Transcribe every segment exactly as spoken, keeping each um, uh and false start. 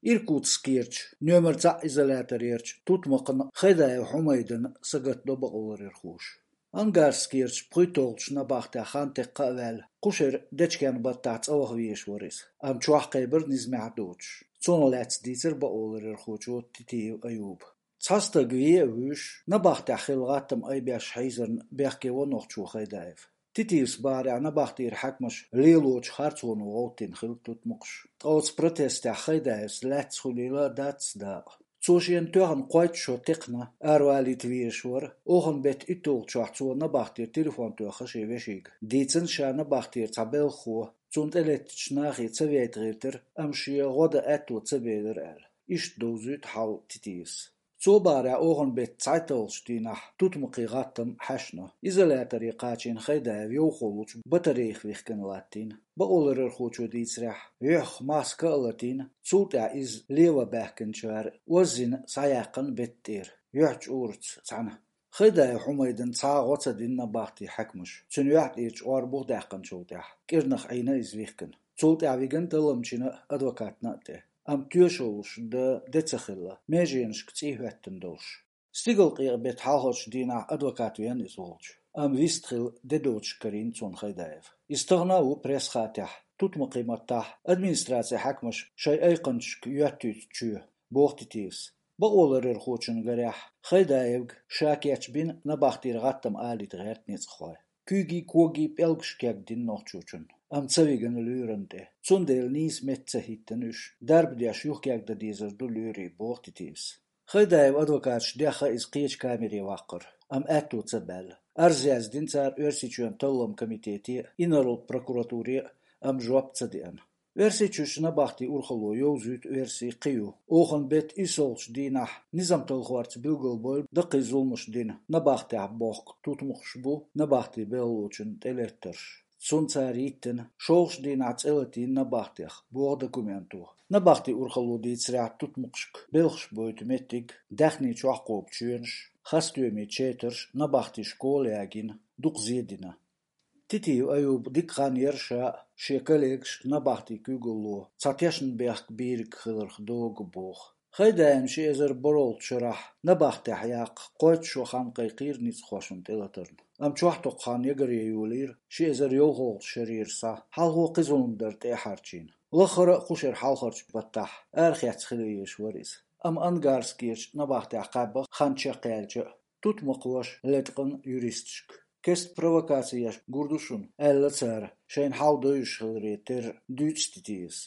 Иркутскерчу номер цхьаъ изоляторерчу тутмакхана Хайдаев Хьумайдана сагатдо бакъоларъярхоша. Ангарскерчу пхуьйтталгӀачу набахтехь хан теккха а ваьлла, кху шеран дечкен баттахь цӀа ваха везаш вара иза, амма чохь кхайбира низамехь а доцуш. Цунах лаьцна дийцира бакъоларъярхочо Титиев Аюба. Цхьа стаг вен а вуьйш, набахтехь хилла гӀаттам айбеш хьийзарна бехке во нохчо Хайдаев. Титиевс бахарехь, набахтера хьаькамаш лелочу харцоно гӀовттина хилла тутмакхаш. Ткъа оцу протестехь Хайдаевс лаьцна хуьлийла а дац дакъа. Цо шена тоьхна кхойтта шо текхна, аравалийта везаш вара. Оханан беттан итталгӀачохь цо набахтера телефон тоьхна шен вешига. Дийцина, ша набахтера цхьа белхахо, цунна тӀелеттачу нахе ца вейта гӀиртира, амма шен гӀо дан аьтто ца белира аьлла. Иштта довзуьйту хьал Титиевс. Цо бахарехь, оханан беттан цхьайтталгӀачу дийнахь тутмакхийн гӀаттам хьаьшна. Изоляторе кхачийна Хайдаев йовхо лучу батарейх вихкина латтийна. Бакъоларъярхочо дийцарехь, юьхьах маска а латийна, цул тӀаьхьа иза лен ван баьхкинчара оззина схьаяьккхина бетта тӀера, юьхь чӀураца цхьаьна. Хайдаев Хьумайдана цхьа а гӀо ца дина набахтин хьаькамаша, цуьнан юьхь тӀера чкъор буха даьккхинчул тӀаьхьа, кӀирнах Ӏийна иза вихкина. Цул тӀаьхьа вигина талламчина а, адвокатна а тӀе. Амма тоьшаллаш дан де ца хилла, меженашка цӀий хӀоьттина долуш. Стигалкъекъа беттан хьалхарчу дийнахь адвокат веана иза волчу, амма вистхила де доцуш карийна цунна Хайдаев. Иза тахана а ву пресс-хатехь, тутмакхийн маттахь, администрацин хьаькамаша шайн айкханчашка йоьттуьйту чоь, боху Титиевс. Бакъоларъярхочун гарехь, Хайдаевга ша кечбина набахтера гӀаттам алийта гӀерта ницкъахой. Куьйгий-когий пӀелгаш кегдина нохчочунна, амма ца вигина лоьрана тӀе. Цундела нийса метта ца хӀиттина уьш, дарба деш юхакегдан дезар ду лоьрийн, боху Титиевс. Хайдаевн адвокаташа дехна иза кхечу камере ваккхар, амма аьтто ца баьлла. Арз яздина цара Оьрсийчоьнан талламан комитете а, инарла прокуратуре а, амма жоп ца деана. Оьрсийчуьрчу набахтин урхалло йовзуьйту верси кхин ю. Оханан беттан иссалгӀачу дийнахь низам талхорца билгалбевлла даккхий зуламаш дина, набахтехь бохку тутмакхаш бу набахтин белхалочунна тӀелеттарш. Цунна цара йиттина, шолгӀачу дийнахь цӀе латийна набахтех, боху документо. Набахтин урхалло дийцарехь, тутмакхашка белхаш бойту меттиг, даьхни чохь кхобу чоьнаш, хасстоьмийн четарш, набахтин школа ягийна, дукха зен дина. Титиев Аюба дика хан яра ша а, шен коллегаш а набахтин куьйгалло цхьа тешнабехк бийриг хиларх догу боху. Хайдаевна ши эзар бархӀолгӀачу шарахь набахтехь яккха кхойтта шо хан кхайкхийра ницкъахошна тӀелатарна. Амма чохь токху хан ягаре йолийра ши эзар йовхалгӀачу шарера схьа, хьалхо кхин зулам дар тӀе а хьарчийна. Лаххара а кху шеран хьалхарчу баттахь арахецна хила везаш вара иза. Амма Ангарскерчу набахтехь кхаьбна хан чекхъяьлча а, тутмакхоша леткъина юристашка. Кеста провокаци еш гур ду шуна, аьлла цара, шайна хьал довзуш хиларе терра, дуьйцу Титиевс.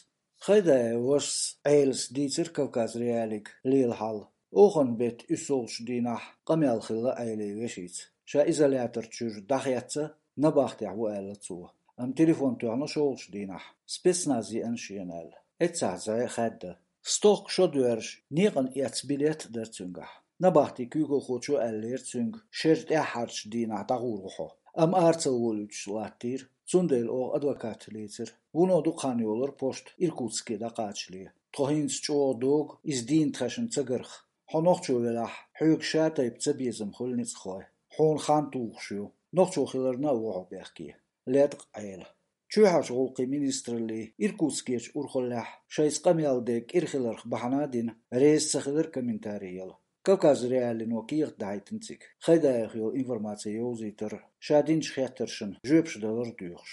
Хайдаевн вашас Ӏелас дийцира Кавказ.Реалиига лела хьал. Оханан беттан уьссалгӀачу дийнахь къамел хилла Ӏелин вешица. Ша изолятор чуьра дӀахецна, набахтехь ву аьлла цо. Амма телефон тоьхна шолгӀачу дийнахь, спецназ еана шена аьлла. Эццахь зӀе хаьдда. Стохка шо доьрзуш, некъан эцна билет а дара цуьнгахь. Набахтин куьйгалхочо аьллера цуьнга, шеран тӀаьххьарчу дийнахь дӀагӀур ву хьо. Амма ара ца волуьйтуш латтийра, цундела оха адвокат лецира. Вуно дукха хан йолура пошта Иркутске дӀакхачале. Тхо хӀинца чӀогӀа догу иза дийна тхаьшна ца гарх. Хьо нохчо велахь, хьоьга шатайпа цабезам хуьлу ницкъахой. Хьуна хан тухуш ю. Нохчо хиларна а ву хьо бехке. Леткъа Ӏела. Чоьхьарчу гӀуллакхийн министраллин Иркутскерчу урхаллехь шайца къамел де кӀира хиларх бахьана а дина, реза ца хилира комментарий яла. Кавказ.Реалиино кехат дахьийтина цига, Хайдаевх йолу информаци йовзийтар, ша динчу хеттаршна жоьпаш далар доьхуш.